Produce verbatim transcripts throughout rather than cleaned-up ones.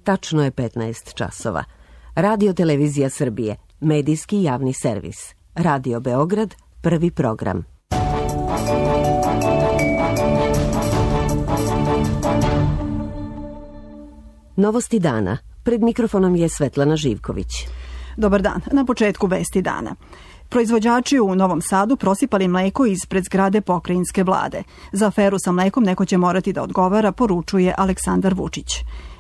Tačno je petnaest časova. Radio Televizija Srbije, medijski javni servis. Radio Beograd, prvi program. Novosti dana. Pred mikrofonom je Svetlana Živković. Dobar dan. Na početku vesti dana. Proizvođači u Novom Sadu prosipali mleko ispred zgrade pokrajinske vlade. Za aferu sa mlekom neko će morati da odgovara, poručuje Aleksandar Vučić.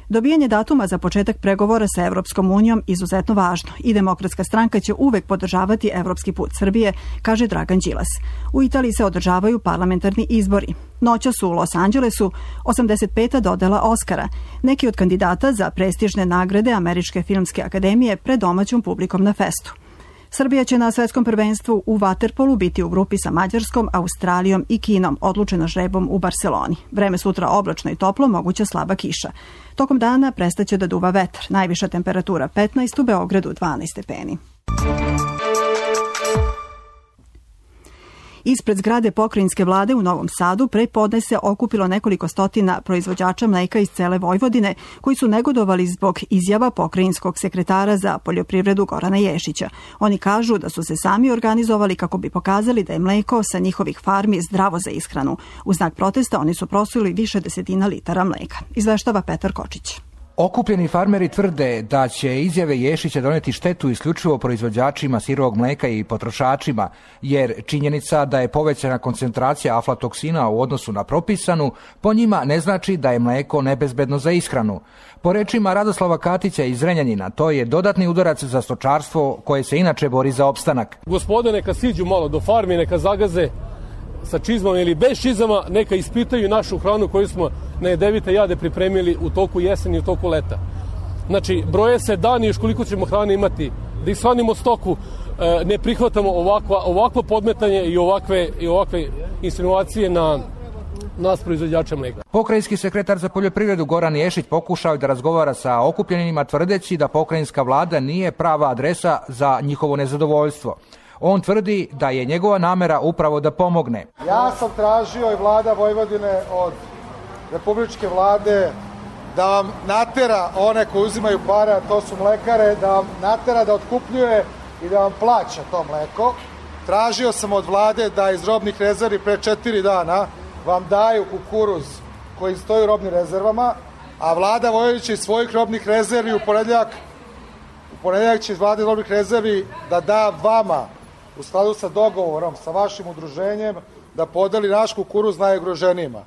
Dobijanje datuma za početak pregovora sa Evropskom unijom izuzetno važno i Demokratska stranka će uvek podržavati evropski put Srbije, kaže Dragan Đilas. U Italiji se održavaju parlamentarni izbori. Noćas u Los Angelesu osamdeset peta dodela Oskara, neki od kandidata za prestižne nagrade Američke filmske akademije pred domaćom publikom na festu. Srbija će na svetskom prvenstvu u vaterpolu biti u grupi sa Mađarskom, Australijom i Kinom, odlučeno žrebom u Barseloni. Vreme sutra oblačno i toplo, moguća slaba kiša. Tokom dana prestaće da duva vetar. Najviša temperatura petnaest, u Beogradu dvanaest stepeni. Ispred zgrade pokrajinske vlade u Novom Sadu pre podne se okupilo nekoliko stotina proizvođača mleka iz cele Vojvodine koji su negodovali zbog izjava pokrajinskog sekretara za poljoprivredu Gorana Ješića. Oni kažu da su se sami organizovali kako bi pokazali da je mleko sa njihovih farmi zdravo za ishranu. U znak protesta oni su prosuli više desetina litara mleka. Izveštava Petar Kočić. Okupljeni farmeri tvrde da će izjave Ješića doneti štetu isključivo proizvođačima sirovog mleka i potrošačima, jer činjenica da je povećana koncentracija aflatoksina u odnosu na propisanu, po njima ne znači da je mleko nebezbedno za ishranu. Po rečima Radoslava Katića iz Zrenjanina, to je dodatni udarac za stočarstvo koje se inače bori za opstanak. Gospode, neka siđu malo do farmi, neka zagaze sa čizmama ili bez čizama, neka ispitaju našu hranu koju smo na jedevite jade pripremili u toku jeseni i u toku leta. Znači, broje se dani još koliko ćemo hrane imati, da ishranimo stoku, ne prihvatamo ovakva, ovakvo podmetanje i ovakve, i ovakve insinuacije na nas proizvođača mleka. Pokrajinski sekretar za poljoprivredu Goran Ješić pokušao da razgovara sa okupljenima tvrdeći da pokrajinska vlada nije prava adresa za njihovo nezadovoljstvo. On tvrdi da je njegova namera upravo da pomogne. Ja sam tražio i vlada Vojvodine od republičke vlade da vam natera one koji uzimaju pare, a to su mlekare, da vam natera da otkupljuje i da vam plaća to mleko. Tražio sam od vlade da iz robnih rezervi pre četiri dana vam daju kukuruz koji stoji u robnim rezervama, a vlada Vojvodine će iz svojih robnih rezervi u ponedeljak, u ponedeljak će iz vlade robnih rezervi da da vama, u skladu sa dogovorom sa vašim udruženjem, da podeli naš kukuruz najugroženijima.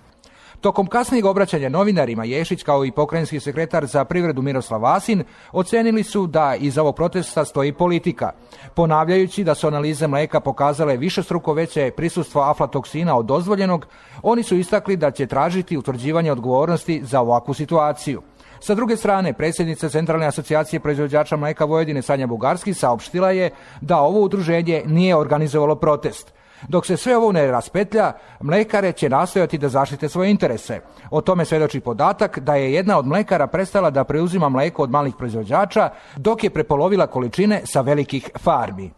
Tokom kasnijeg obraćanja novinarima, Ješić kao i pokrajinski sekretar za privredu Miroslav Vasin ocenili su da iza ovog protesta stoji politika. Ponavljajući da su analize mleka pokazale višestruko veće prisustvo aflatoksina od dozvoljenog, oni su istakli da će tražiti utvrđivanje odgovornosti za ovakvu situaciju. Sa druge strane, predsjednica Centralne asocijacije proizvođača mleka Vojvodine Sanja Bugarski saopštila je da ovo udruženje nije organizovalo protest. Dok se sve ovo ne raspetlja, mlekare će nastojati da zaštite svoje interese. O tome svedoči podatak da je jedna od mlekara prestala da preuzima mleko od malih proizvođača, dok je prepolovila količine sa velikih farmi.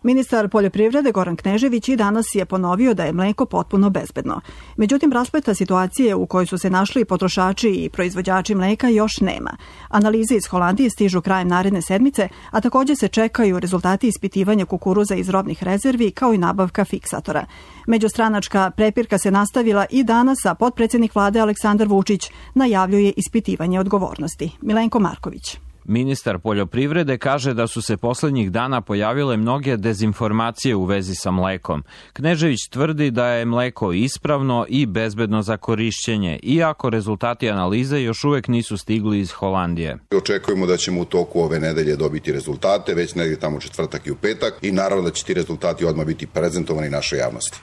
Ministar poljoprivrede Goran Knežević i danas je ponovio da je mleko potpuno bezbedno. Međutim, raspleta situacije u kojoj su se našli potrošači i proizvođači mleka još nema. Analize iz Holandije stižu krajem naredne sedmice, a također se čekaju rezultati ispitivanja kukuruza iz robnih rezervi kao i nabavka fiksatora. Međustranačka prepirka se nastavila i danas, a potpredsjednik vlade Aleksandar Vučić najavljuje ispitivanje odgovornosti. Milenko Marković. Ministar poljoprivrede kaže da su se poslednjih dana pojavile mnoge dezinformacije u vezi sa mlekom. Knežević tvrdi da je mleko ispravno i bezbedno za korišćenje, iako rezultati analize još uvek nisu stigli iz Holandije. Očekujemo da ćemo u toku ove nedelje dobiti rezultate, već negdje tamo četvrtak i u petak, i naravno da će ti rezultati odmah biti prezentovani našoj javnosti.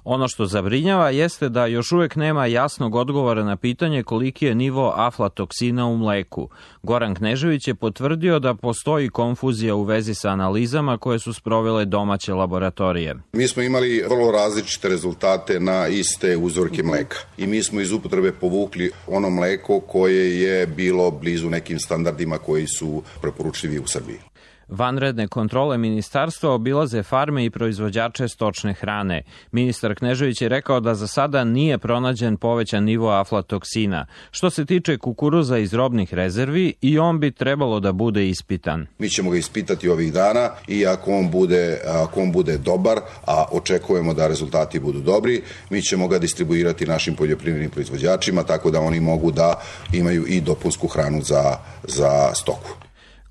Ono što zabrinjava jeste da još uvek nema jasnog odgovora na pitanje koliki je nivo aflatoksina u mleku. Goran Knežević je potvrdio da postoji konfuzija u vezi sa analizama koje su sprovele domaće laboratorije. Mi smo imali vrlo različite rezultate na iste uzorke mleka i mi smo iz upotrebe povukli ono mleko koje je bilo blizu nekim standardima koji su preporučljivi u Srbiji. Vanredne kontrole ministarstva obilaze farme i proizvođače stočne hrane. Ministar Knežević je rekao da za sada nije pronađen povećan nivo aflatoksina. Što se tiče kukuruza iz robnih rezervi, i on bi trebalo da bude ispitan. Mi ćemo ga ispitati ovih dana i ako on bude, ako on bude dobar, a očekujemo da rezultati budu dobri, mi ćemo ga distribuirati našim poljoprivrednim proizvođačima, tako da oni mogu da imaju i dopunsku hranu za, za stoku.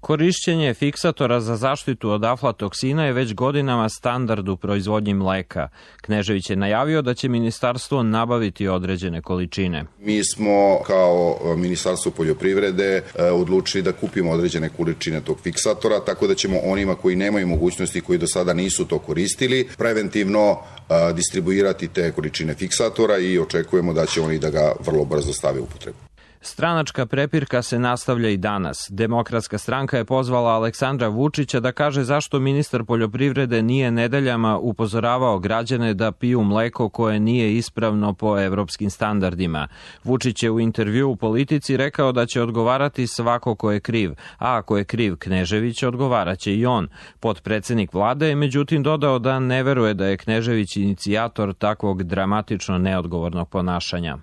Korišćenje fiksatora za zaštitu od aflatoksina je već godinama standard u proizvodnji mleka. Knežević je najavio da će ministarstvo nabaviti određene količine. Mi smo kao Ministarstvo poljoprivrede odlučili da kupimo određene količine tog fiksatora, tako da ćemo onima koji nemaju mogućnosti, koji do sada nisu to koristili, preventivno distribuirati te količine fiksatora i očekujemo da će oni da ga vrlo brzo stave u upotrebu. Stranačka prepirka se nastavlja i danas. Demokratska stranka je pozvala Aleksandra Vučića da kaže zašto ministar poljoprivrede nije nedeljama upozoravao građane da piju mleko koje nije ispravno po evropskim standardima. Vučić je u intervju u Politici rekao da će odgovarati svako ko je kriv, a ako je kriv Knežević, odgovaraće i on. Potpredsednik vlade je međutim dodao da ne veruje da je Knežević inicijator takvog dramatično neodgovornog ponašanja.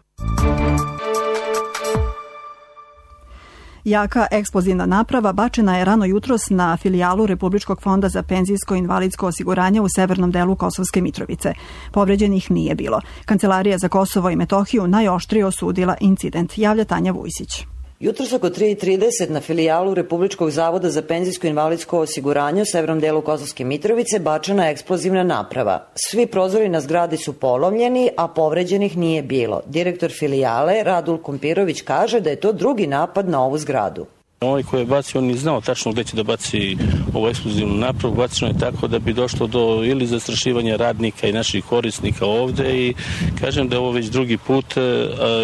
Jaka eksplozivna naprava bačena je rano jutros na filijalu Republičkog fonda za penzijsko i invalidsko osiguranje u severnom delu Kosovske Mitrovice. Povređenih nije bilo. Kancelarija za Kosovo i Metohiju najoštrije osudila incident, javlja Tanja Vujsić. Jutros oko tri i trideset na filijalu Republičkog zavoda za penzijsko i invalidsko osiguranje u severnom delu Kosovske Mitrovice bačena je eksplozivna naprava. Svi prozori na zgradi su polomljeni, a povređenih nije bilo. Direktor filijale Radul Kompirović kaže da je to drugi napad na ovu zgradu. Ovaj koji je bacio, on je znao tačno gde će da baci ovu eksplozivnu napravu. Bacino je tako da bi došlo do ili zastrašivanja radnika i naših korisnika ovde i kažem da je ovo već drugi put a,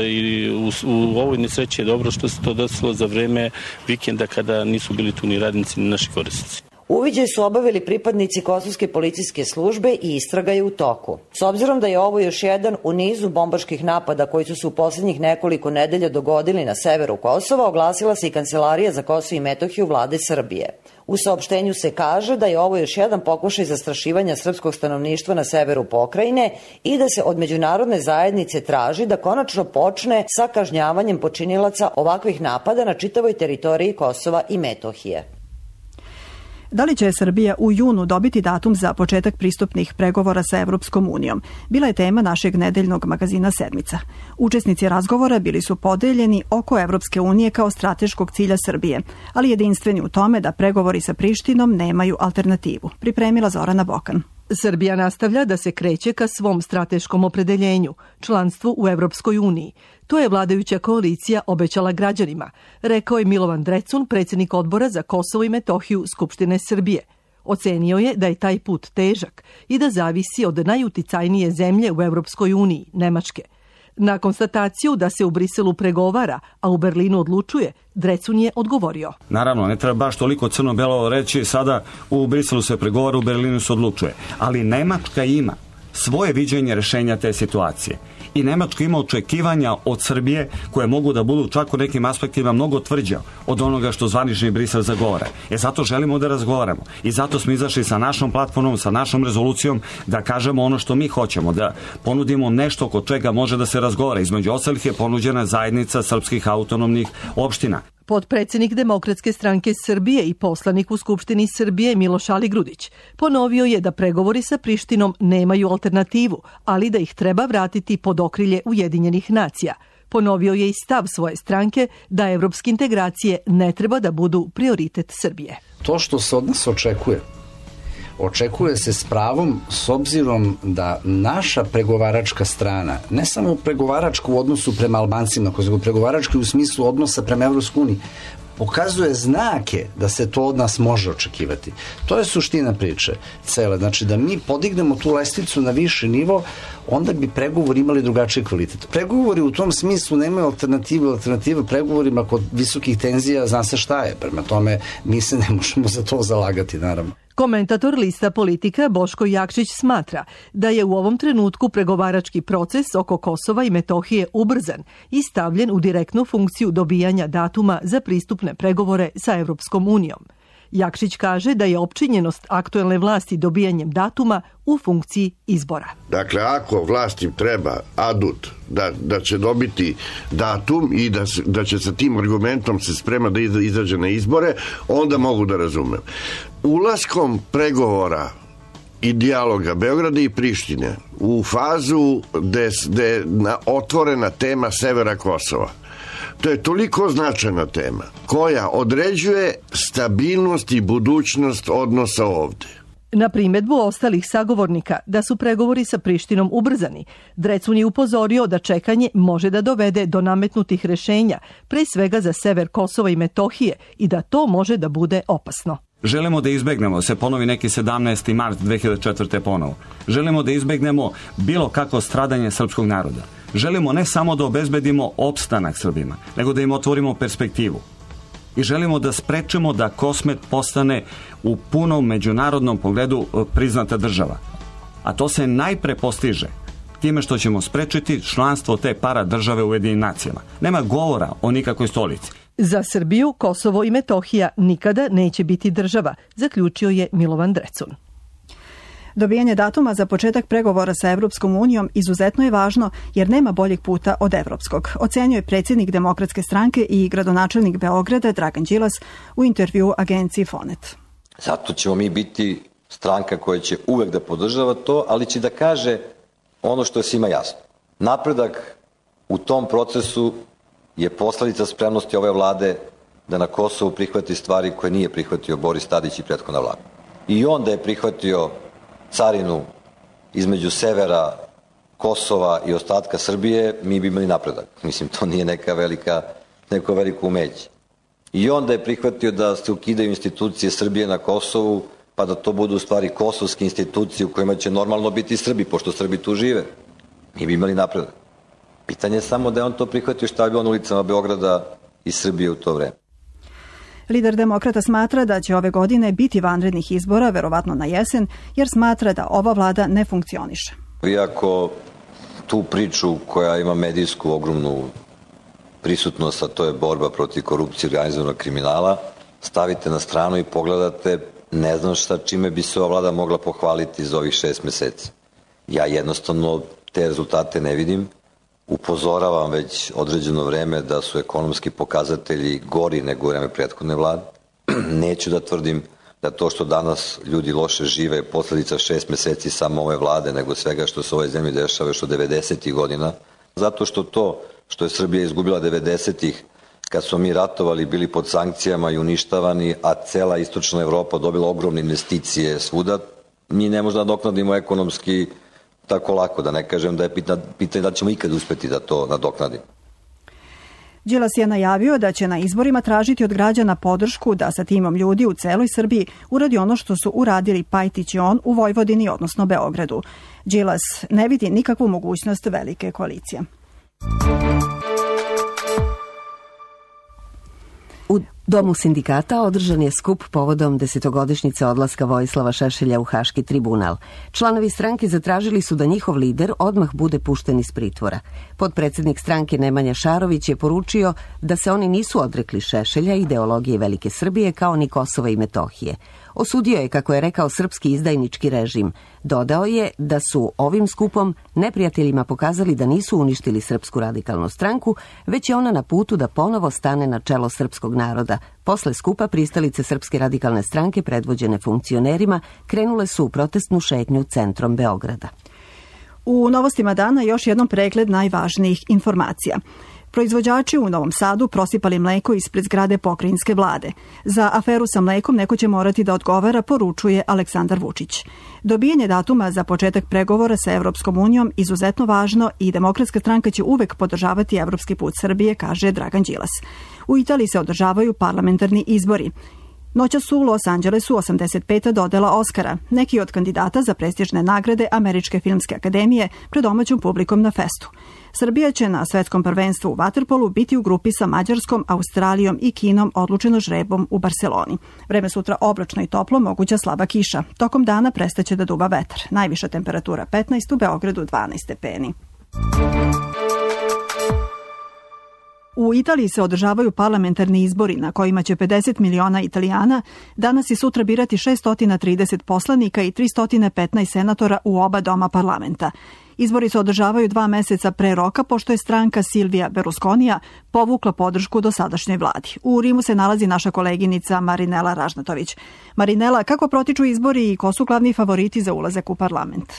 i u, u ovoj nesreći je dobro što se to desilo za vreme vikenda kada nisu bili tu ni radnici ni naši korisnici. Uviđaj su obavili pripadnici Kosovske policijske službe i istraga je u toku. S obzirom da je ovo još jedan u nizu bombaških napada koji su se u poslednjih nekoliko nedelja dogodili na severu Kosova, oglasila se i Kancelarija za Kosovo i Metohiju vlade Srbije. U saopštenju se kaže da je ovo još jedan pokušaj zastrašivanja srpskog stanovništva na severu pokrajine i da se od međunarodne zajednice traži da konačno počne sa kažnjavanjem počinilaca ovakvih napada na čitavoj teritoriji Kosova i Metohije. Da li će Srbija u junu dobiti datum za početak pristupnih pregovora sa Evropskom unijom? Bila je tema našeg nedeljnog magazina Sedmica. Učesnici razgovora bili su podeljeni oko Evropske unije kao strateškog cilja Srbije, ali jedinstveni u tome da pregovori sa Prištinom nemaju alternativu. Pripremila Zorana Bokan. Srbija nastavlja da se kreće ka svom strateškom opredeljenju, članstvu u Evropskoj uniji. To je vladajuća koalicija obećala građanima, rekao je Milovan Drecun, predsjednik odbora za Kosovo i Metohiju Skupštine Srbije. Ocenio je da je taj put težak i da zavisi od najuticajnije zemlje u Evropskoj uniji, Nemačke. Na konstataciju da se u Briselu pregovara, a u Berlinu odlučuje, Drecun je odgovorio. Naravno, ne treba baš toliko crno-belo reći, sada u Briselu se pregovara, u Berlinu se odlučuje. Ali Nemačka ima svoje viđenje rešenja te situacije. I Nemačka ima očekivanja od Srbije koje mogu da budu čak u nekim aspektima mnogo tvrđa od onoga što zvanični Brisel zagovara. E zato želimo da razgovaramo. I zato smo izašli sa našom platformom, sa našom rezolucijom da kažemo ono što mi hoćemo, da ponudimo nešto kod čega može da se razgovara. Između ostalih je ponuđena zajednica srpskih autonomnih opština. Potpredsjednik Demokratske stranke Srbije i poslanik u Skupštini Srbije Miloš Aligrudić ponovio je da pregovori sa Prištinom nemaju alternativu, ali da ih treba vratiti pod okrilje Ujedinjenih nacija. Ponovio je i stav svoje stranke da evropske integracije ne treba da budu prioritet Srbije. To što se od nas očekuje, očekuje se s pravom s obzirom da naša pregovaračka strana, ne samo pregovaračka u odnosu prema Albancima, nego pregovaračka u smislu odnosa prema Evropskoj uniji, pokazuje znake da se to od nas može očekivati. To je suština priče cele. Znači da mi podignemo tu lestvicu na viši nivo, onda bi pregovori imali drugačiji kvalitet. Pregovori u tom smislu nemaju alternative, alternative pregovorima kod visokih tenzija, zna se šta je. Prema tome, mi se ne možemo za to zalagati, naravno. Komentator lista Politika Boško Jakšić smatra da je u ovom trenutku pregovarački proces oko Kosova i Metohije ubrzan i stavljen u direktnu funkciju dobijanja datuma za pristupne pregovore sa Evropskom unijom. Jakšić kaže da je opčinjenost aktuelne vlasti dobijanjem datuma u funkciji izbora. Dakle, ako vlasti treba adut da, da će dobiti datum i da, da će sa tim argumentom se sprema da izađe na izbore, onda mogu da razumem. Ulaskom pregovora i dijaloga Beograda i Prištine u fazu gde je otvorena tema severa Kosova, to je toliko značajna tema koja određuje stabilnost i budućnost odnosa ovde. Na primedbu ostalih sagovornika da su pregovori sa Prištinom ubrzani, Drecun je upozorio da čekanje može da dovede do nametnutih rešenja, pre svega za sever Kosova i Metohije, i da to može da bude opasno. Želimo da izbegnemo, se ponovi neki sedamnaesti mart dve hiljade četvrte ponovo. Želimo da izbegnemo bilo kako stradanje srpskog naroda. Želimo ne samo da obezbedimo opstanak Srbima, nego da im otvorimo perspektivu. I želimo da sprečimo da Kosmet postane u punom međunarodnom pogledu priznata država. A to se najpre postiže time što ćemo sprečiti članstvo te para države u Ujedinjenim nacijama. Nema govora o nikakvoj stolici. Za Srbiju, Kosovo i Metohija nikada neće biti država, zaključio je Milovan Drecun. Dobijanje datuma za početak pregovora sa Evropskom unijom izuzetno je važno jer nema boljeg puta od evropskog, ocenjuje predsjednik Demokratske stranke i gradonačelnik Beograda Dragan Đilas u intervjuu agenciji Fonet. Zato ćemo mi biti stranka koja će uvek da podržava to, ali će da kaže ono što je svima jasno. Napredak u tom procesu je posledica spremnosti ove vlade da na Kosovu prihvati stvari koje nije prihvatio Boris Tadić i prethodna vlada. I onda je prihvatio carinu između severa Kosova i ostatka Srbije, mi bi imali napredak. Mislim, to nije neka velika, neko veliko umeće. I onda je prihvatio da se ukidaju institucije Srbije na Kosovu, pa da to budu u stvari kosovske institucije u kojima će normalno biti Srbi, pošto Srbi tu žive. Mi bi imali napredak. Pitanje je samo da je on to prihvatio šta je bilo na ulicama Beograda i Srbije u to vreme. Lider Demokrata smatra da će ove godine biti vanrednih izbora, verovatno na jesen, jer smatra da ova vlada ne funkcioniše. Vi ako tu priču koja ima medijsku ogromnu prisutnost, a to je borba protiv korupcije i organizovanog kriminala, stavite na stranu i pogledate, ne znam šta čime bi se ova vlada mogla pohvaliti za ovih šest meseci. Ja jednostavno te rezultate ne vidim. Upozoravam već određeno vreme da su ekonomski pokazatelji gori nego u vreme prethodne vlade. Neću da tvrdim da to što danas ljudi loše žive je posledica šest meseci samo ove vlade, nego svega što se u ovoj zemlji dešava još od devedesetih godina. Zato što to što je Srbija izgubila devedesetih, kad smo mi ratovali, bili pod sankcijama i uništavani, a cela istočna Evropa dobila ogromne investicije svuda, mi ne možemo da nadoknadimo ekonomski tako lako, da ne kažem da je pitanje da ćemo ikad uspeti da to nadoknadimo. Đilas je najavio da će na izborima tražiti od građana podršku da sa timom ljudi u celoj Srbiji uradi ono što su uradili Pajtić i on u Vojvodini, odnosno Beogradu. Đilas ne vidi nikakvu mogućnost velike koalicije. U Domu sindikata održan je skup povodom desetogodišnjice odlaska Vojislava Šešelja u Haški tribunal. Članovi stranke zatražili su da njihov lider odmah bude pušten iz pritvora. Potpredsednik stranke Nemanja Šarović je poručio da se oni nisu odrekli Šešelja, ideologije Velike Srbije, kao ni Kosova i Metohije. Osudio je, kako je rekao, srpski izdajnički režim. Dodao je da su ovim skupom neprijateljima pokazali da nisu uništili Srpsku radikalnu stranku, već je ona na putu da ponovo stane na čelo srpskog naroda. Posle skupa pristalice Srpske radikalne stranke, predvođene funkcionerima, krenule su u protestnu šetnju centrom Beograda. U novostima dana još jednom pregled najvažnijih informacija. Proizvođači u Novom Sadu prosipali mleko ispred zgrade pokrajinske vlade. Za aferu sa mlekom neko će morati da odgovara, poručuje Aleksandar Vučić. Dobijanje datuma za početak pregovora sa Evropskom unijom izuzetno važno i Demokratska stranka će uvek podržavati evropski put Srbije, kaže Dragan Đilas. U Italiji se održavaju parlamentarni izbori. Noćas u Los Angelesu osamdeset peta dodela Oskara, neki od kandidata za prestižne nagrade Američke filmske akademije pred domaćom publikom na festu. Srbija će na svetskom prvenstvu u vaterpolu biti u grupi sa Mađarskom, Australijom i Kinom, odlučeno žrebom u Barseloni. Vreme sutra oblačno i toplo, moguća slaba kiša. Tokom dana prestaće da duva vetar. Najviša temperatura petnaest, u Beogradu dvanaest stepeni. U Italiji se održavaju parlamentarni izbori na kojima će pedeset miliona Italijana danas i sutra birati šesto trideset poslanika i tristo petnaest senatora u oba doma parlamenta. Izbori se održavaju dva meseca pre roka, pošto je stranka Silvija Berlusconija povukla podršku dosadašnjoj vladi. U Rimu se nalazi naša koleginica Marinela Ražnatović. Marinela, kako protiču izbori i ko su glavni favoriti za ulazak u parlament?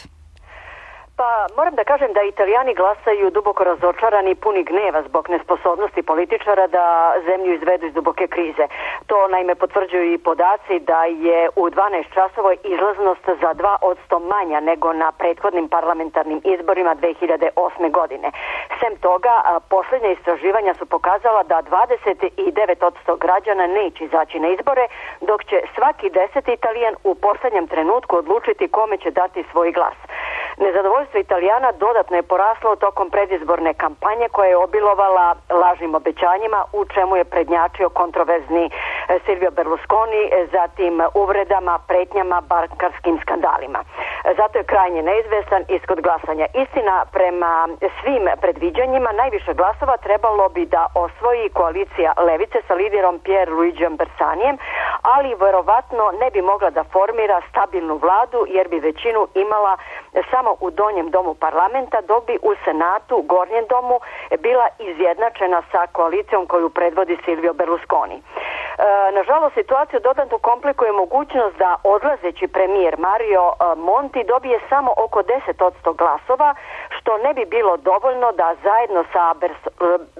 Pa moram da kažem da Italijani glasaju duboko razočarani i puni gneva zbog nesposobnosti političara da zemlju izvedu iz duboke krize. To naime potvrđuju i podaci da je u dvanaest časova izlaznost za dva posto manja nego na prethodnim parlamentarnim izborima dve hiljade osme. godine. Sem toga, posljednja istraživanja su pokazala da dvadeset devet posto građana neće izaći na izbore, dok će svaki deseti Italijan u posljednjem trenutku odlučiti kome će dati svoj glas. Nezadovoljstvo Italijana dodatno je poraslo tokom predizborne kampanje koja je obilovala lažnim obećanjima, u čemu je prednjačio kontroverzni Silvio Berlusconi, zatim uvredama, pretnjama, bankarskim skandalima. Zato je krajnje neizvestan ishod glasanja. Istina, prema svim predviđanjima, najviše glasova trebalo bi da osvoji koalicija Levice sa liderom Pier Luigijom Bersanijem, ali verovatno ne bi mogla da formira stabilnu vladu jer bi većinu imala samo u donjem domu parlamenta, dok bi u Senatu, gornjem domu, bila izjednačena sa koalicijom koju predvodi Silvio Berlusconi. E, nažalost, situaciju dodatno komplikuje mogućnost da odlazeći premijer Mario Monti dobije samo oko deset posto glasova, što ne bi bilo dovoljno da zajedno sa Bers,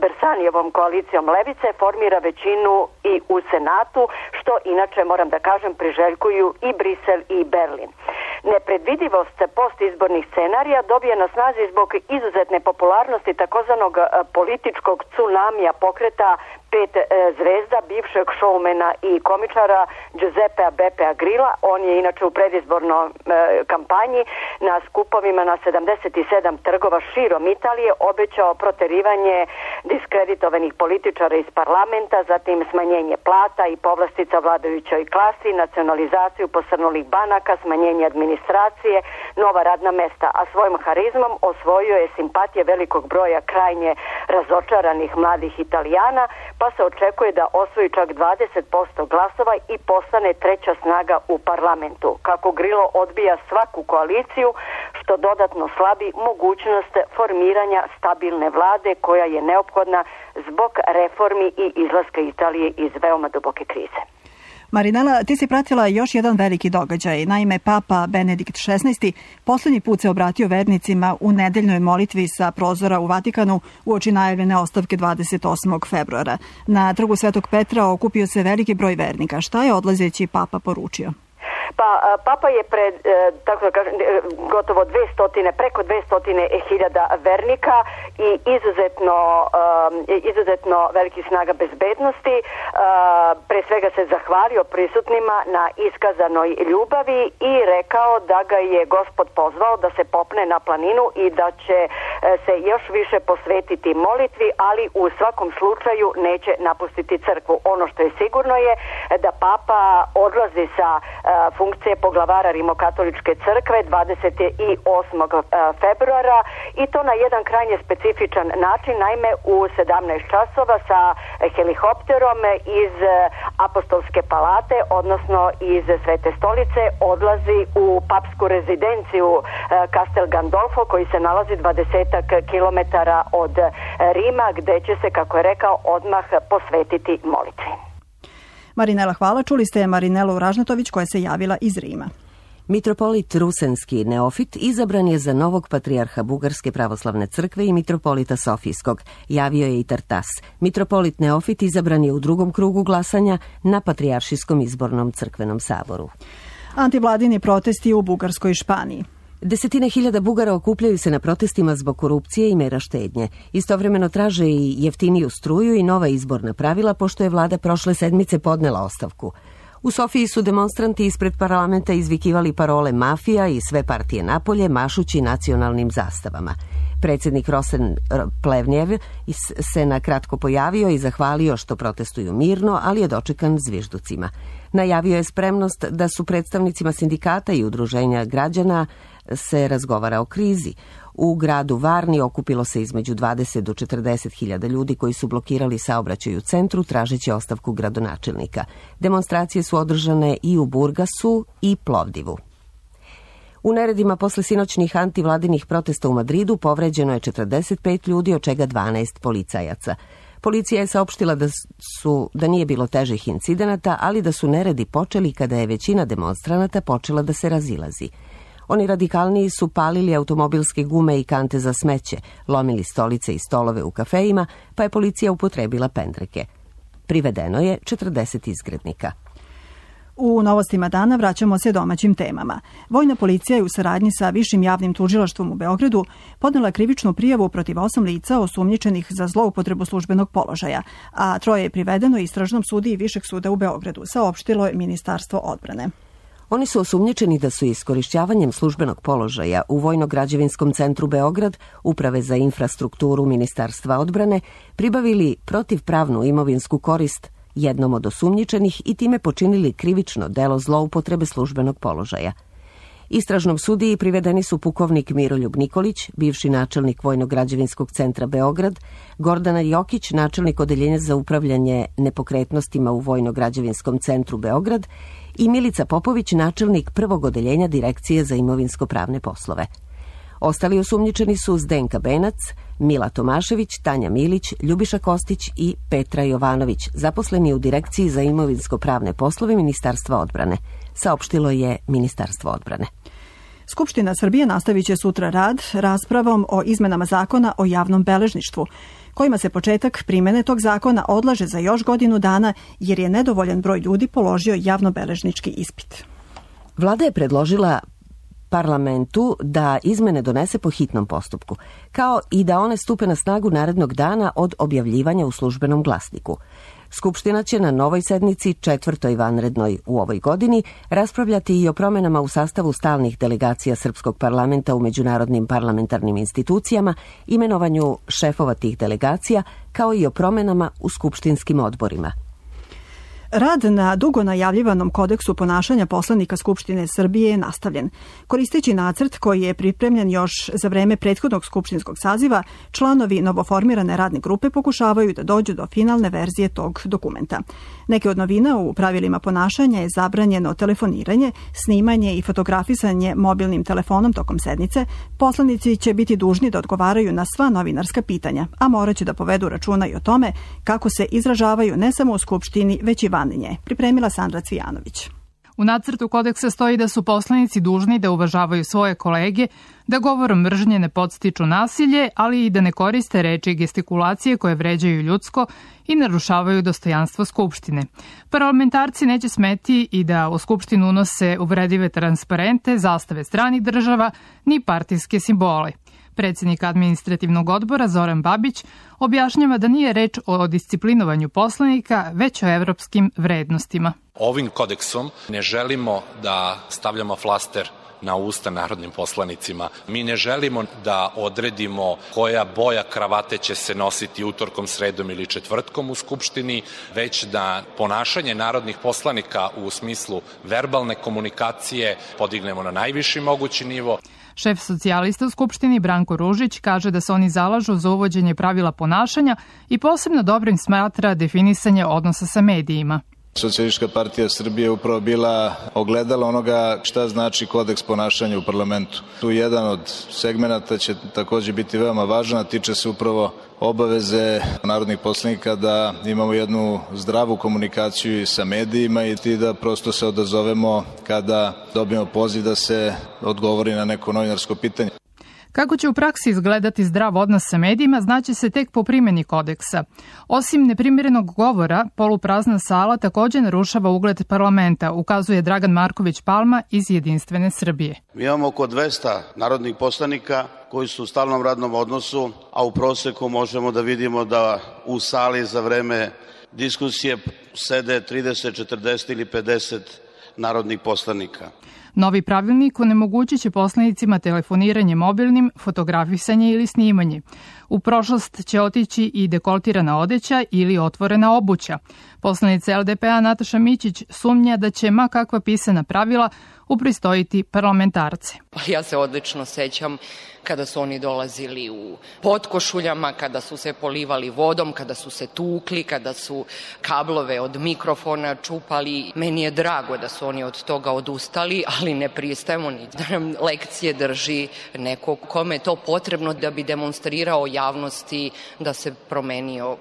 Bersanijevom koalicijom Levice formira većinu i u Senatu, što inače, moram da kažem, priželjkuju i Brisel i Berlin. Nepredvidivost postizbornih scenarija dobije na snazi zbog izuzetne popularnosti takozvanog političkog tsunamija pokreta pet zvezda bivšeg šoumena i komičara Giuseppea Beppea Grilla. On je inače u predizbornoj e, kampanji na skupovima na sedamdeset sedam trgova širom Italije obećao proterivanje diskreditovanih političara iz parlamenta, zatim smanjenje plata i povlastica vladajućoj klasi, nacionalizaciju posrnulih banaka, smanjenje administracije, nova radna mesta, a svojim harizmom osvojio je simpatije velikog broja krajnje razočaranih mladih Italijana, pa se očekuje da osvoji čak dvadeset posto glasova i postane treća snaga u parlamentu. Kako Grillo odbija svaku koaliciju, što dodatno slabi mogućnost formiranja stabilne vlade koja je neophodna zbog reformi i izlaska Italije iz veoma duboke krize. Marinela, ti si pratila još jedan veliki događaj. Naime, Papa Benedikt šesnaesti poslednji put se obratio vernicima u nedeljnoj molitvi sa prozora u Vatikanu uoči najavljene ostavke dvadeset osmog februara. Na trgu Svetog Petra okupio se veliki broj vernika. Šta je odlazeći Papa poručio? Pa Papa je pred, tako da kažem, gotovo dvesta, preko dvesta hiljada vernika i izuzetno, izuzetno veliki snaga bezbednosti. Pre svega se zahvalio prisutnima na iskazanoj ljubavi i rekao da ga je Gospod pozvao da se popne na planinu i da će se još više posvetiti molitvi, ali u svakom slučaju neće napustiti crkvu. Ono što je sigurno je da Papa odlazi sa funkcije poglavara Rimokatoličke crkve dvadeset osmog februara i to na jedan krajnje specifičan način, naime u sedamnaest časova sa helikopterom iz Apostolske palate, odnosno iz Svete stolice, odlazi u papsku rezidenciju Castel Gandolfo, koji se nalazi dvadesetak kilometara od Rima, gde će se, kako je rekao, odmah posvetiti molitvi. Marinela, hvala. Čuli ste Marinelu Ražnatović koja se javila iz Rima. Mitropolit Rusenski Neofit izabran je za novog patrijarha Bugarske pravoslavne crkve i mitropolita Sofijskog, javio je i Tartas. Mitropolit Neofit izabran je u drugom krugu glasanja na Patrijaršijskom izbornom crkvenom saboru. Antivladini protesti u Bugarskoj i Španiji. Desetine hiljada Bugara okupljaju se na protestima zbog korupcije i mera štednje. Istovremeno traže i jeftiniju struju i nova izborna pravila, pošto je vlada prošle sedmice podnela ostavku. U Sofiji su demonstranti ispred parlamenta izvikivali parole mafija i sve partije napolje, mašući nacionalnim zastavama. Predsjednik Rosen Plevnjev se na kratko pojavio i zahvalio što protestuju mirno, ali je dočekan zvižducima. Najavio je spremnost da su predstavnicima sindikata i udruženja građana se razgovara o krizi. U gradu Varni okupilo se između dvadeset do četrdeset hiljada ljudi koji su blokirali saobraćaj u centru tražeći ostavku gradonačelnika. Demonstracije su održane i u Burgasu i Plovdivu. U neredima posle sinoćnih antivladinih protesta u Madridu povređeno je četrdeset pet ljudi, od čega dvanaest policajaca. Policija je saopštila da, su, da nije bilo težih incidenata, ali da su neredi počeli kada je većina demonstranata počela da se razilazi. Oni radikalniji su palili automobilske gume i kante za smeće, lomili stolice i stolove u kafejima, pa je policija upotrebila pendreke. Privedeno je četrdeset izgrednika. U novostima dana vraćamo se domaćim temama. Vojna policija je u saradnji sa Višim javnim tužilaštvom u Beogradu podnela krivičnu prijavu protiv osam lica osumnjičenih za zloupotrebu službenog položaja, a troje je privedeno istražnom sudiji Višeg suda u Beogradu, saopštilo je Ministarstvo odbrane. Oni su osumnjičeni da su iskorišćavanjem službenog položaja u Vojno-građevinskom centru Beograd, Uprave za infrastrukturu Ministarstva odbrane, pribavili protivpravnu imovinsku korist jednom od osumnjičenih i time počinili krivično delo zloupotrebe službenog položaja. Istražnom sudiji privedeni su pukovnik Miroljub Nikolić, bivši načelnik Vojno-građevinskog centra Beograd, Gordana Jokić, načelnik odeljenja za upravljanje nepokretnostima u Vojno-građevinskom centru Beograd i Milica Popović, načelnik prvog odeljenja Direkcije za imovinsko-pravne poslove. Ostali osumnjičeni su Zdenka Benac, Mila Tomašević, Tanja Milić, Ljubiša Kostić i Petra Jovanović, zaposleni u Direkciji za imovinsko-pravne poslove Ministarstva odbrane, saopštilo je Ministarstvo odbrane. Skupština Srbije nastavit će sutra rad raspravom o izmenama zakona o javnom beležništvu, kojima se početak primene tog zakona odlaže za još godinu dana jer je nedovoljan broj ljudi položio javnobeležnički ispit. Vlada je predložila parlamentu da izmene donese po hitnom postupku, kao i da one stupe na snagu narednog dana od objavljivanja u službenom glasniku. Skupština će na novoj sednici, četvrtoj vanrednoj u ovoj godini, raspravljati i o promenama u sastavu stalnih delegacija Srpskog parlamenta u međunarodnim parlamentarnim institucijama, imenovanju šefova tih delegacija, kao i o promenama u skupštinskim odborima. Rad na dugo najavljivanom kodeksu ponašanja poslanika Skupštine Srbije je nastavljen. Koristeći nacrt koji je pripremljen još za vreme prethodnog skupštinskog saziva, članovi novoformirane radne grupe pokušavaju da dođu do finalne verzije tog dokumenta. Neke od novina u pravilima ponašanja je zabranjeno telefoniranje, snimanje i fotografisanje mobilnim telefonom tokom sednice. Poslanici će biti dužni da odgovaraju na sva novinarska pitanja, a morat će da povedu računa i o tome kako se izražavaju ne samo u Skupštini, već i van nje. Pripremila Sandra Cvijanović. U nacrtu kodeksa stoji da su poslanici dužni da uvažavaju svoje kolege, da govorom mržnje ne podstiču nasilje, ali i da ne koriste reči i gestikulacije koje vređaju ljudsko i narušavaju dostojanstvo Skupštine. Parlamentarci neće smeti i da u Skupštinu unose uvredive transparente, zastave stranih država, ni partijske simbole. Predsjednik administrativnog odbora Zoran Babić objašnjava da nije reč o disciplinovanju poslanika, već o evropskim vrednostima. Ovim kodeksom ne želimo da stavljamo flaster na usta narodnim poslanicima. Mi ne želimo da odredimo koja boja kravate će se nositi utorkom, sredom ili četvrtkom u Skupštini, već da ponašanje narodnih poslanika u smislu verbalne komunikacije podignemo na najviši mogući nivo. Šef socijalista u Skupštini Branko Ružić kaže da se oni zalažu za uvođenje pravila ponašanja i posebno dobrim smatra definisanje odnosa sa medijima. Socijalistička partija Srbije je upravo bila ogledala onoga šta znači kodeks ponašanja u parlamentu. Tu jedan od segmenata će takođe biti veoma važan, a tiče se upravo obaveze narodnih poslanika da imamo jednu zdravu komunikaciju i sa medijima i ti da prosto se odazovemo kada dobijemo poziv da se odgovori na neko novinarsko pitanje. Kako će u praksi izgledati zdrav odnos sa medijima, znaće se tek po primjeni kodeksa. Osim neprimjerenog govora, poluprazna sala također narušava ugled parlamenta, ukazuje Dragan Marković Palma iz Jedinstvene Srbije. Mi imamo oko dvesta narodnih poslanika koji su u stalnom radnom odnosu, a u proseku možemo da vidimo da u sali za vreme diskusije sede trideset, četrdeset ili pedeset narodnih poslanika. Novi pravilnik onemogućit će poslanicima telefoniranje mobilnim, fotografisanje ili snimanje. U prošlost će otići i dekoltirana odeća ili otvorena obuća. Poslanica L D P A Nataša Mićić sumnja da će ma kakva pisana pravila upristojiti parlamentarce. Ja se odlično sećam kada su oni dolazili u potkošuljama, kada su se polivali vodom, kada su se tukli, kada su kablove od mikrofona čupali. Meni je drago da su oni od toga odustali, ali ne pristajemo ni da nam lekcije drži neko kome je to potrebno da bi demonstrirao javnosti da se promenio.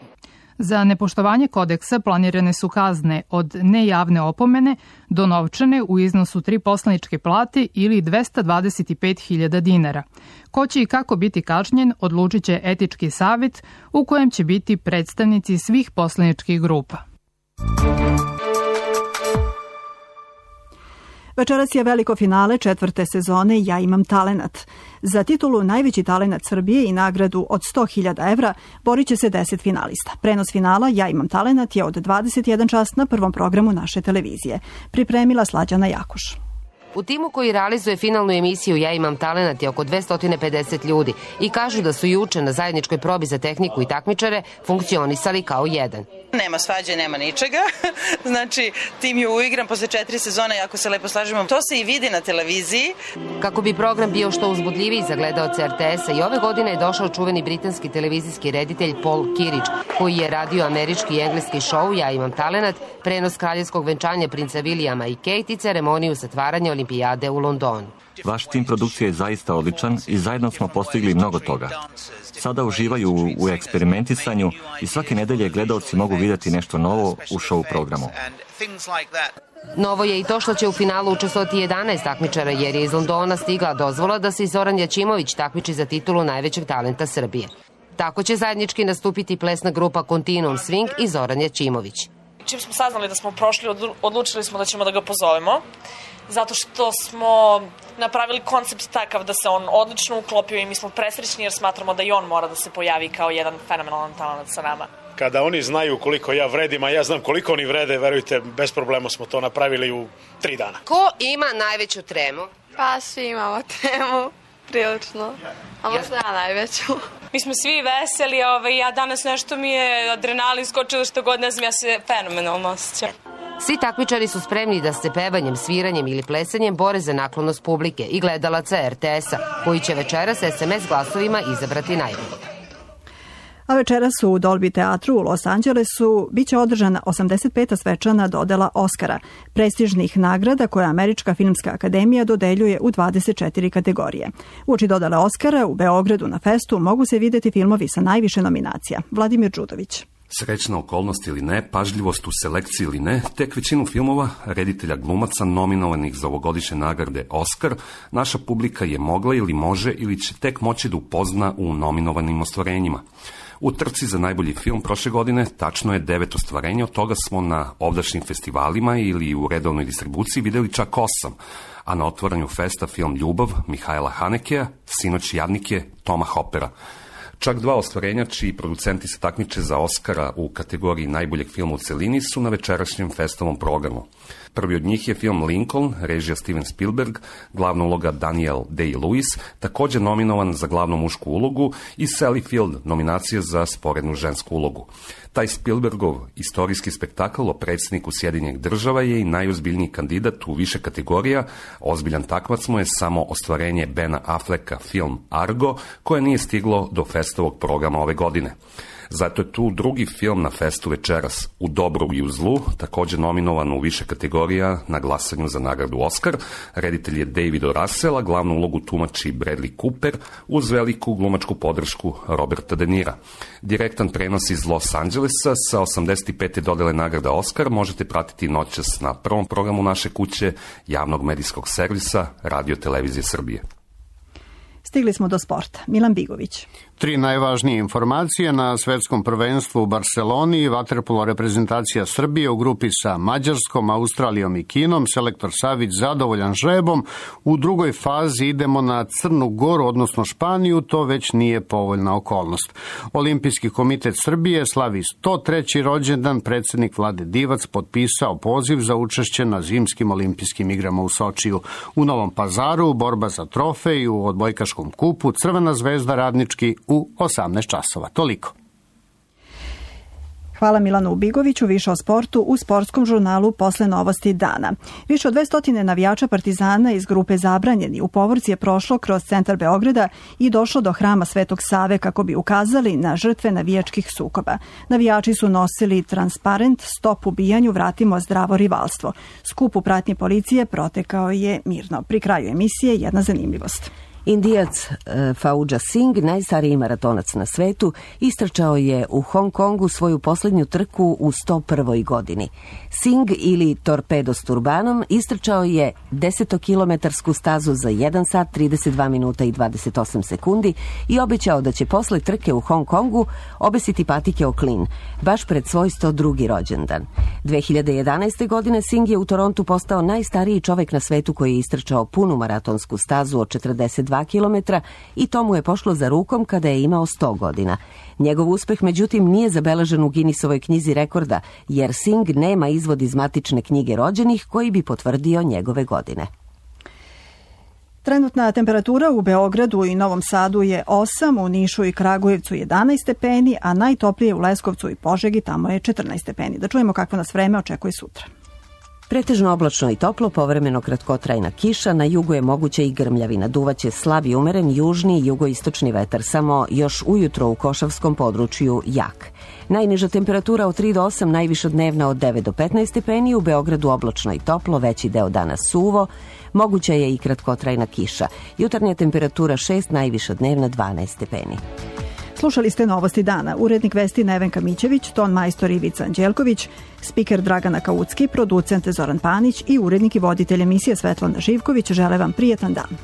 Za nepoštovanje kodeksa planirane su kazne od nejavne opomene do novčane u iznosu tri poslaničke plate ili dvesta dvadeset pet hiljada dinara. Ko će i kako biti kažnjen odlučit će etički savjet u kojem će biti predstavnici svih poslaničkih grupa. Večeras je veliko finale četvrte sezone Ja imam talenat. Za titulu Najveći talenat Srbije i nagradu od sto hiljada evra borit će se deset finalista. Prenos finala Ja imam talenat je od dvadeset jedan čas na prvom programu naše televizije. Pripremila Slađana Jakoš. U timu koji realizuje finalnu emisiju Ja imam talenat je oko dvesta pedeset ljudi i kažu da su juče na zajedničkoj probi za tehniku i takmičare funkcionisali kao jedan. Nema svađe, nema ničega. Znači, tim je uigran posle četiri sezone, jako se lepo slažemo. To se i vidi na televiziji. Kako bi program bio što uzbudljiviji za gledaoce er te esa, i ove godine je došao čuveni britanski televizijski reditelj Paul Kirić, koji je radio američki i engleski šou Ja imam talenat, prenos kraljevskog venčanja princa Vilijama i Kate i ceremoniju zatvaranja olimpijade u Londonu. Vaš tim produkcije je zaista odličan i zajedno smo postigli mnogo toga. Sada uživaju u eksperimentisanju i svake nedelje gledaoci mogu vidjeti nešto novo u show programu. Novo je i to što će u finalu učestvovati jedanaest takmičara, jer je iz Londona stigla dozvola da se i Zoran Jačimović takmiči za titulu Najvećeg talenta Srbije. Tako će zajednički nastupiti plesna grupa Continuum Swing i Zoran Jačimović. Čim smo saznali da smo prošli, odlučili smo da ćemo da ga pozovemo, zato što smo napravili koncept takav da se on odlično uklopio i mi smo presrećni jer smatramo da i on mora da se pojavi kao jedan fenomenalan talent sa nama. Kada oni znaju koliko ja vredim, a ja znam koliko oni vrede, verujte, bez problema smo to napravili u tri dana. Ko ima najveću tremu? Pa svi imamo tremu, prilično, a možda ja najveću. Mi smo svi veseli, ovaj, ja danas nešto mi je adrenalin skočilo što god, ne znam, ja se fenomenalno osjećam. Svi takmičari su spremni da se pevanjem, sviranjem ili plesanjem bore za naklonost publike i gledalaca er te esa, koji će večeras es em es glasovima izabrati najbolji. A večeras u Dolby teatru u Los Angelesu biće održana osamdeset peta svečana dodela Oscara, prestižnih nagrada koje Američka filmska akademija dodeljuje u dvadeset četiri kategorije. Uoči dodele Oscara u Beogradu na festu mogu se videti filmovi sa najviše nominacija. Vladimir Đudović. Srećna okolnost ili ne, pažljivost u selekciji ili ne, tek većinu filmova, reditelja glumaca nominovanih za ovogodišnje nagrade Oscar, naša publika je mogla ili može ili će tek moći da upozna u nominovanim ostvarenjima. U trci za najbolji film prošle godine tačno je devet ostvarenja, od toga smo na ovdašnjim festivalima ili u redovnoj distribuciji videli čak osam, a na otvaranju festa film Ljubav Mihajla Hanekeja, sinoć Jadnik je Toma Hopera. Čak dva ostvarenja čiji producenti se takmiče za Oscara u kategoriji najboljeg filma u celini su na večerašnjem festivalnom programu. Prvi od njih je film Lincoln, režija Steven Spielberg, glavna uloga Daniel Day-Lewis, također nominovan za glavnu mušku ulogu, i Sally Field, nominacija za sporednu žensku ulogu. Taj Spielbergov istorijski spektakl o predsjedniku Sjedinjenih država je i najozbiljniji kandidat u više kategorija. Ozbiljan takmac mu je samo ostvarenje Bena Afflecka film Argo, koje nije stiglo do festovog programa ove godine. Zato je tu drugi film na festu večeras, U dobru i u zlu, također nominovan u više kategorija na glasanju za nagradu Oscar. Reditelj je David O. Russell, a glavnu ulogu tumači Bradley Cooper uz veliku glumačku podršku Roberta De Nira. Direktan prenos iz Los Angelesa sa osamdeset pete dodele nagrada Oscar možete pratiti noćas na prvom programu naše kuće, javnog medijskog servisa Radio Televizije Srbije. Stigli smo do sporta. Milan Bigović. Tri najvažnije informacije na svetskom prvenstvu u Barseloni. Vaterpolo reprezentacija Srbije u grupi sa Mađarskom, Australijom i Kinom. Selektor Savić zadovoljan žrebom. U drugoj fazi idemo na Crnu Goru, odnosno Španiju. To već nije povoljna okolnost. Olimpijski komitet Srbije slavi sto treći rođendan. Predsjednik Vlade Divac potpisao poziv za učešće na zimskim olimpijskim igrama u Sočiju. U Novom Pazaru borba za trofej u odbojkaškom kupu Crvena zvezda Radnički u osamnaest časova. Toliko. Hvala Milanu Ubigoviću, više o sportu u sportskom žurnalu posle novosti dana. Više od dvesta navijača Partizana iz grupe Zabranjeni u povorci je prošlo kroz centar Beograda i došlo do hrama Svetog Save kako bi ukazali na žrtve navijačkih sukoba. Navijači su nosili transparent Stop ubijanju, vratimo zdravo rivalstvo. Skup u pratnji policije protekao je mirno. Pri kraju emisije jedna zanimljivost. Indijac Fauja Singh, najstariji maratonac na svetu, istrčao je u Hong Kongu svoju posljednju trku u sto prvoj godini. Singh ili Torpedo s turbanom istrčao je desetokilometarsku stazu za jedan sat, trideset dva minuta i dvadeset osam sekundi i obećao da će posle trke u Hong Kongu obesiti patike o klin, baš pred svoj sto drugi rođendan. dve hiljade jedanaeste. godine Singh je u Torontu postao najstariji čovek na svetu koji je istrčao punu maratonsku stazu od četrdeset dva kilometra i to mu je pošlo za rukom kada je imao sto godina. Njegov uspeh, međutim, nije zabeležen u Guinnessovoj knjizi rekorda, jer Singh nema izvod iz matične knjige rođenih koji bi potvrdio njegove godine. Trenutna temperatura u Beogradu i Novom Sadu je osam, u Nišu i Kragujevcu jedanaest stepeni, a najtoplije u Leskovcu i Požegi, tamo je četrnaest stepeni. Da čujemo kakvo nas vreme očekuje sutra. Pretežno oblačno i toplo, povremeno kratkotrajna kiša, na jugu je moguće i grmljavina, duvaće slab i umeren južni i jugoistočni vetar, samo još ujutro u Košavskom području jak. Najniža temperatura od tri do osam, najviša dnevna od devet do petnaest stepeni, u Beogradu oblačno i toplo, veći deo dana suvo, moguća je i kratkotrajna kiša. Jutarnja temperatura šest, najviša dnevna dvanaest stepeni. Slušali ste novosti dana. Urednik vesti Nevenka Mićević, ton majstor Ivica Anđelković, spiker Dragana Kaucki, producent Zoran Panić i urednik i voditelj emisije Svetlana Živković žele vam prijetan dan.